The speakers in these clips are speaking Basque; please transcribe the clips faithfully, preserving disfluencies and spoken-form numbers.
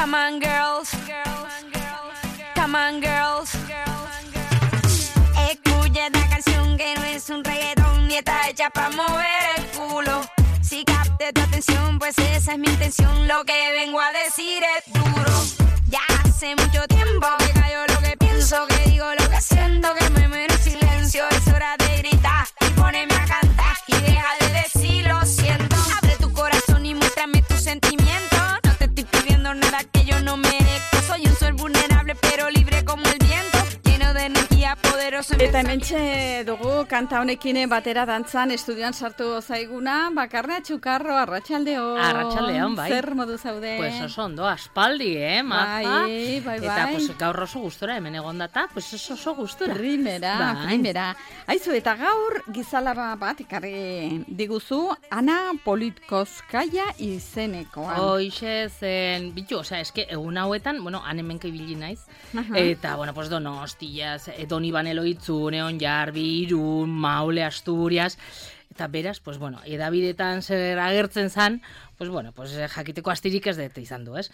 Come on, girls. Come on, girls. Escucha esta canción que no es un reggaetón ni está hecha para mover el culo. Si capte tu atención, pues esa es mi intención. Lo que vengo a decir es duro. Ya hace mucho tiempo que callo lo que pienso, que digo lo que siento, que me muero en silencio. Es hora de gritar y ponerme a cantar y deja de decir lo siento. Abre tu corazón y muéstrame tus sentimientos. No te estoy pidiendo nada que yo no merezco. Soy un ser vulnerable pero libre como el viento, lleno de energía poderoso. Eta hementxe dugu kanta honekin batera dantzan estudioan sartu zaiguna Bakarne Txukarro. Arratsaldeon. Arratsaldeon, bai. Zer modu zaude? Pues oso ondo, aspaldi, eh, maja. Bai, bai, bai. Eta pues gaur oso gustora hemen egondata, pues oso oso gustora. Primera, bai. primera. Aizu, eta gaur gizalaba bat ikarri diguzu Ana Politkovskaya izenekoa. Hoixe zen, bitu, osea, eske egun hauetan, bueno, han hemenka ibili naiz. Aha. Eta, bueno, pues Donostias, Donibane Loitzu, Neon Jarbi, Irun, Maule, Asturias. Eta beraz, pues bueno, edabidetan zer agertzen zan, pues bueno, pues jakiteko astirik ez dut izan du, ez?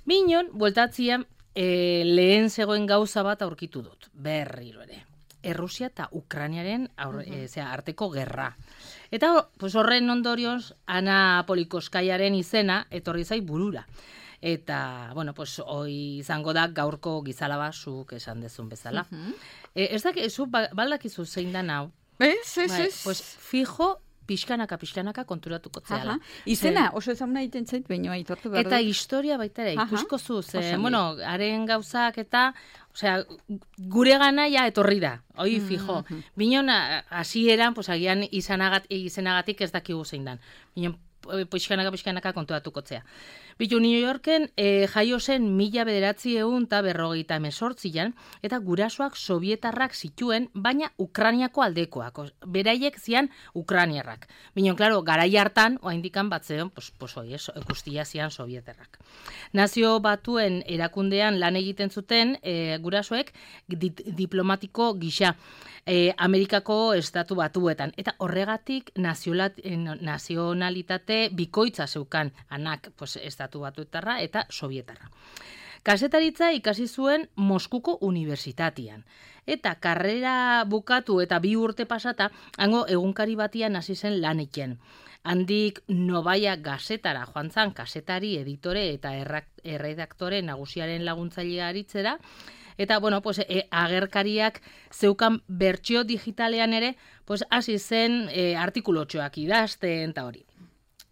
Minon, bueltatzian, e, lehen zegoen gauza bat aurkitu dut, berriro ere. Errusia eta Ukrainiaren aur, e, zera, arteko gerra. Eta pues horren ondorioz, Ana Politkovskayaren izena etorri zai burura. Eta, bueno, pues hoi izango da gaurko gizalaba zuk esan dezun bezala. Uh-huh. e, ez da, zu baldakizu zein da hau? Ez, ez, Bai, ez. pues fijo, pixkanaka, pixkanaka konturatuko zehala. Izena, oso ezaguna egiten zait, baino aitortu behar Eta dut. historia baita ere, Aha. ikusko zu, ze, Oso ondo. bueno, haren gauzak eta, osea, gure gana ja etorri da, hoi fijo. Mhm. Binon, a- hasieran, pues agian izanagat, izenagatik ez dakigu zein dan. Binon, pixkanaka, pixkanaka konturatuko zea. Bitu, New Yorken eh, jaio zen mila bederatzi egun eta berrogeita emesortzian, eta gurasoak sovietarrak zituen, baina Ukrainiako aldekoak. Os- Beraiek zian Ukrainiarrak. Binon, klaro, garai hartan, oaindikan batzeon, pues, pues oi, ez, guztia zian sovietarrak. Nazio batuen erakundean lan egiten zuten eh, gurasoek dit, diplomatiko gisa. E, Amerikako estatu batuetan. Eta horregatik naziolat, eh, nazionalitate bikoitza zeukan anak pues, estatu batuetarra eta sovietarra. Kasetaritza ikasi zuen Moskuko unibertsitatean. Eta karrera bukatu eta bi urte pasata, hango egunkari batian hasi zen lan egiten. Handik Novaia gazetara joan zan kasetari, editore eta errak, erredaktore nagusiaren laguntzailea aritzera. Eta, bueno, pues, e, agerkariak zeukan bertsio digitalean ere, pues, hasi zen e, artikulotxoak idazten eta hori.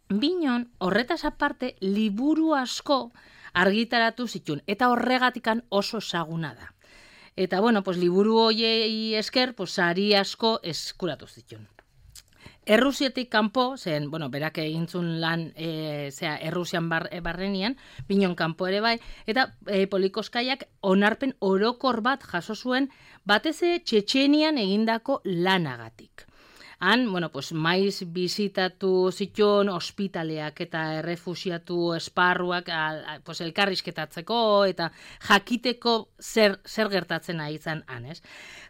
Binon, horretaz aparte, liburu asko argitaratu zituen, eta horregatikan oso ezaguna da. Eta, bueno, pues, liburu hoiei esker, pues, sari asko eskuratu zituen. Errusietik kanpo, zen, bueno, berak egintzun lan, e, zera, Errusian bar, e, barrenian, binon kanpo ere bai, eta e, Politkovskaiak onarpen orokor bat jaso zuen, batez ere Txetxenian egindako lanagatik. Han, bueno, pues, maiz bizitatu zituen ospitaleak eta errefusiatu esparruak al, al, pues, elkarrizketatzeko eta jakiteko zer, zer gertatzen ari izan han, ez?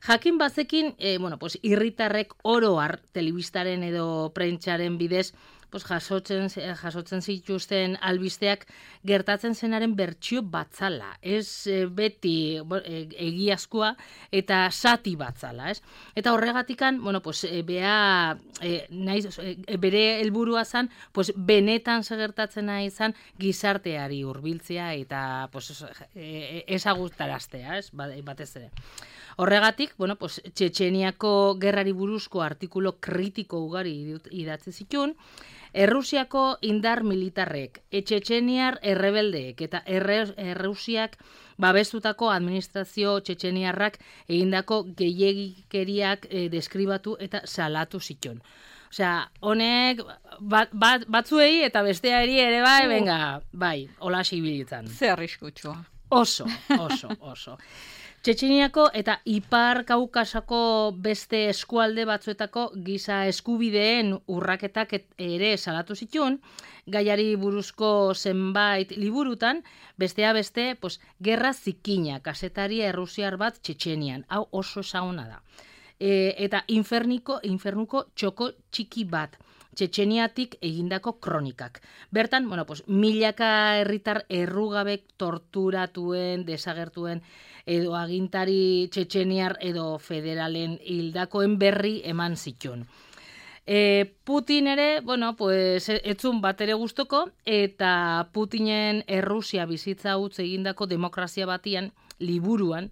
Jakin bazekin, eh, bueno, pues, irritarrek oro har telebistaren edo prentsaren bidez pues, jasotzen, jasotzen zituzten albisteak gertatzen zenaren bertsio batzala. Ez e, beti e, egiazkoa eta sati batzala, ez? Eta horregatikan, bueno, pues, e, bea, e, naiz, e, bere helburua zan, pues, benetan segertatzen nahi izan gizarteari hurbiltzea eta pues, e, ezagutaraztea, ez? Batez ere. Horregatik, bueno, pues, Txetxeniako gerrari buruzko artikulo kritiko ugari idatzi zituen, Errusiako indar militarrek, Txetxeniar errebeldeek eta Errusiak babestutako administrazio txetxeniarrak egindako gehiegikeriak e, deskribatu eta salatu zituen. Osea, honek bat, bat, batzuei eta besteari ere bai, uh. venga, bai, hola sibilitzen. Ze arriskutsua. Oso, oso, oso. Txetxeniako eta Ipar Kaukasako beste eskualde batzuetako giza eskubideen urraketak ere salatu zituen, gaiari buruzko zenbait liburutan, bestea beste, pues, gerra zikina, kasetaria errusiar bat Txetxenian, hau oso ezaguna da. E, eta inferniko, infernuko txoko txiki bat. Txetxeniatik egindako kronikak. Bertan, bueno, pues, milaka herritar errugabek torturatuen, desagertuen, edo agintari txetxeniar edo federalen hildakoen berri eman zituen. E, Putin ere, bueno, pues, etzun bat ere gustoko, eta Putinen Errusia bizitza utz egindako demokrazia batian, liburuan,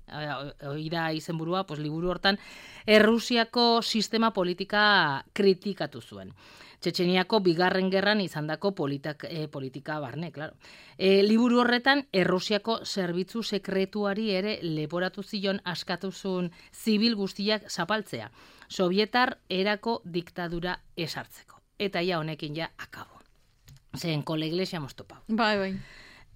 hori da izenburua, pues, liburu hortan, Errusiako sistema politika kritikatu zuen. Txetxeniako bigarren gerran izandako politak, e, politika barne, claro. E, liburu horretan, Errusiako zerbitzu sekretuari ere leporatu zion askatuzun zibil guztiak zapaltzea. Sovietar erako diktadura esartzeko. Eta ja honekin ja akabo. Zen, kole iglesia moztopau. Bai, bai.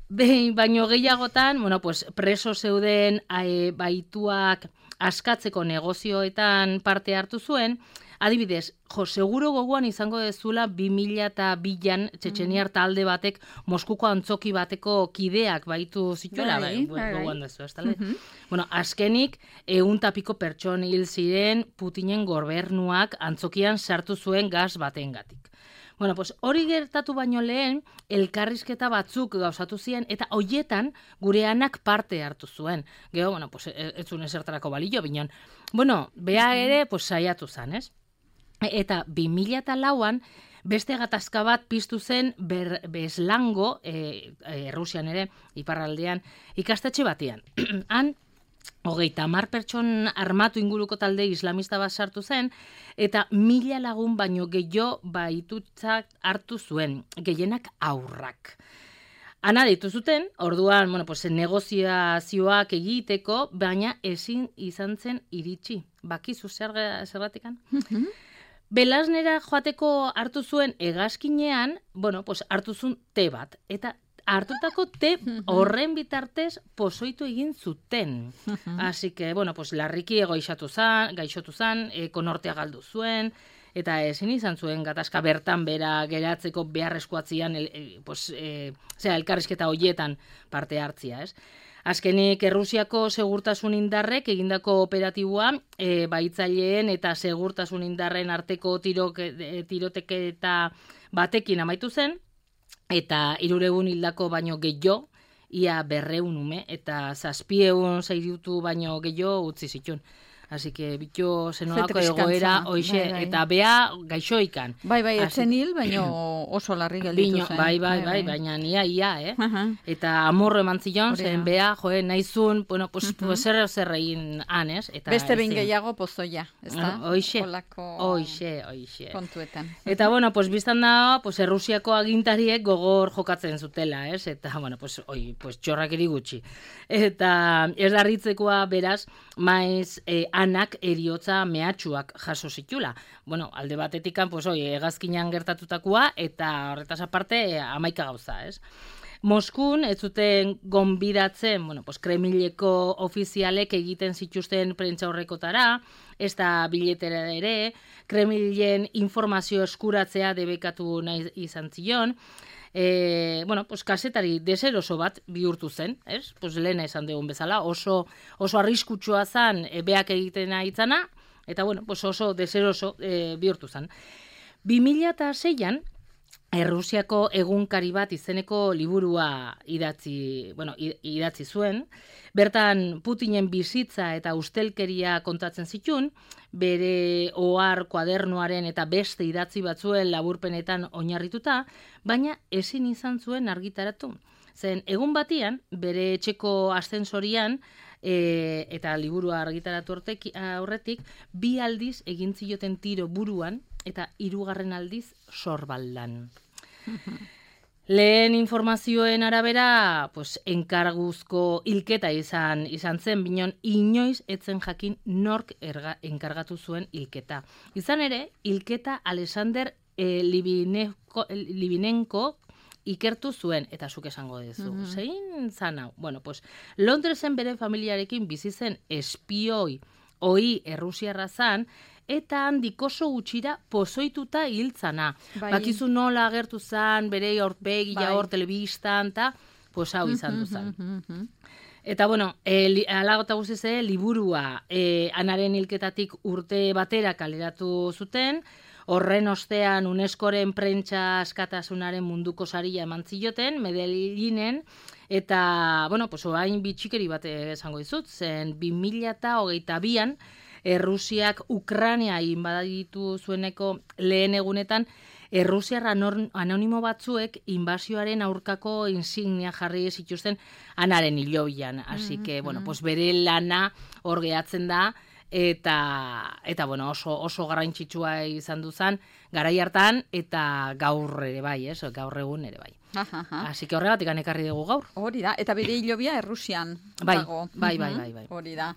Behin, baino gehiagotan, bueno, pues, preso zeuden e, baituak askatzeko negozioetan parte hartu zuen, adibidez, jo, seguro gogoan izango dezula bi mila bian txetxeniar talde batek Moskuko antzoki bateko kideak baitu zituela, bai, bai, bai, gogoan bai. dezu, ez talde? Mhm. Bueno, azkenik, ehun tapiko pertson hil ziren Putinen gobernuak antzokian sartu zuen gaz batengatik. Bueno, pues hori gertatu baino lehen, elkarrizketa batzuk gauzatu ziren, eta hoietan gure anak parte hartu zuen. Gero, bueno, pues ez zuen esertarako balio, binon. Bueno, bea ere, pues saiatu zen, ez? Eta bi mila lauan, beste gatazka bat piztu zen ber, Beslango, e, e, Rusian ere, iparraldean, ikastetxe batean. Han, hogeita hamar pertson armatu inguruko talde islamista bat sartu zen, eta mila lagun baino gehiago baitutzak hartu zuen, gehienak aurrak. Ana ditu zuten, orduan, bueno, pues, negoziazioak egiteko, baina ezin izan zen iritsi. Bakizu zer zerratikan? Belasnera joateko hartu zuen hegazkinean, bueno, pues, hartu zuen te bat, eta hartutako te horren bitartez pozoitu egin zuten. Así que, bueno, pues, larriki egoixatu zan, gaixotu zan, e, konortea galdu zuen, eta ezin izan zuen gatazka bertan bera geratzeko beharrezkoatzian, el, e, pues, e, zera, elkarrizketa hoietan parte hartzia, ez? Azkenik Errusiako segurtasun indarrek egindako operatiboa e, baitzaileen eta segurtasun indarren arteko tiroke, e, tiroteketa batekin amaitu zen, eta hirureun hildako baino gehiago, ia berreun ume, eta zazpieun zairiutu baino gehiago utzi zituen. Así que bitxo zenolako egoera, hoixe, bai, bai. eta bea gaixoikan. Bai, bai, Así- etzen hil, baina oso larri gelditu Bino, zen. bai, bai, bai, baina nia ia, eh? Aha. Eta amorro eman zion, Hori zen da. bea, joe, naizun, bueno, pues, pues zer zer egin han, ez? Eta Beste behin ezin. gehiago pozoia, ez da? Ah, hoixe, Olako hoixe, hoixe. kontuetan. Eta, bueno, pues, biztan da, pues, Errusiako agintariek gogor jokatzen zutela, ez? Eta, bueno, pues, oi, pues, txorrakeri gutxi. Eta, ez darritzekoa, beraz, maiz, eh, anak eriotza mehatxuak jaso zitula. Bueno, alde batetikan, pues, oi, hegazkinean gertatutakoa, eta horretaz aparte, hamaika gauza, ez? Moskun, ez zuten gonbidatzen, bueno, pues, Kremleko ofizialek egiten zituzten prentza horrekotara, ez da biletera ere, Kremlen informazio eskuratzea debekatu nahi izan zion, e, bueno, pues, kasetari deseroso bat bihurtu zen, ez? Pues, lehena esan dugun bezala, oso, oso arriskutsua zan e, beak egiten aitzana, eta, bueno, pues, oso deseroso e, bihurtu zen. bi mila seian, Errusiako egunkari bat izeneko liburua idatzi, bueno, idatzi zuen. Bertan Putinen bizitza eta ustelkeria kontatzen zituen, bere ohar kuadernoaren eta beste idatzi batzuen laburpenetan oinarrituta, baina ezin izan zuen argitaratu. Zen egun batian, bere etxeko ascensorian, e, eta liburua argitaratu hortek, aurretik, bi aldiz egin zioten tiro buruan, eta hirugarren aldiz sorbaldan. Lehen informazioen arabera, pues, enkarguzko hilketa izan izan zen, binon inoiz etzen jakin nork erga, enkargatu zuen hilketa. Izan ere, hilketa Alexander e, Libineko, Libinenko ikertu zuen, eta zuk esango dezu. Mm-hmm. Zein zan hau? Bueno, pues, Londresen bere familiarekin bizi zen espioi hoi Errusiarra zan, eta handik oso gutxira pozoituta hiltzana. Bai. Bakizu nola agertu zan, bere aurpegia Bai. hor telebistan, eta pues hau izan du zan. Mhm. Eta bueno, e, alagota guzize, liburua e, anaren hilketatik urte batera kaleratu zuten, Horren ostean UNESCOren prentsa askatasunaren munduko saria eman zioten, Medellinen, eta, bueno, pues, oain bitxikeri bat esango dizut, zen bi mila hogeita bian, Errusiak Ukraina inbaditu zueneko lehen egunetan, Errusiar anonimo batzuek inbasioaren aurkako insignia jarri zituzten anaren hilobian. Así que, bueno, pues bere lana hor gehatzen da, eta, eta bueno, oso, oso garrantzitsua izan duzan, garai hartan, eta gaur ere bai, ez? Gaur egun ere bai. Así que horregatik ekarri dugu gaur. Hori da, eta bere hilobia Errusian bai, dago. Bai, bai, bai, bai. Hori da.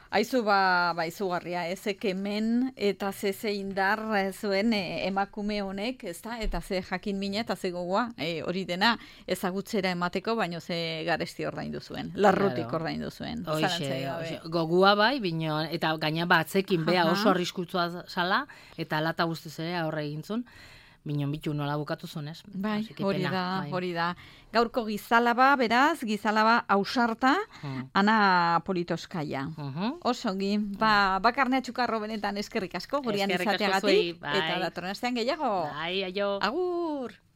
Aizu ba, ba izugarria, ezek hemen eta ze ze indar zuen e, emakume honek, ezta? Eta ze jakin mina eta ze gogoa, e, hori dena ezagutzera emateko, baino ze garesti ordaindu zuen, larrutik claro. ordaindu zuen. Hoxe, gogua bai, bino, eta gaina batzekin bea oso arriskutsua zala, eta lata guztiz ere aurre egin zuen. Minon bitu nola bukatu zunez. Bai, hori da, bai. hori da. Gaurko gizalaba, beraz, gizalaba ausarta, hmm. Ana Politoskaia. Uh-huh. Osongi, ba, bakarnea txukarro benetan eskerrik asko, gurian izateagatik, bai. Eta datorren astean gehiago. Bai, aio. Agur!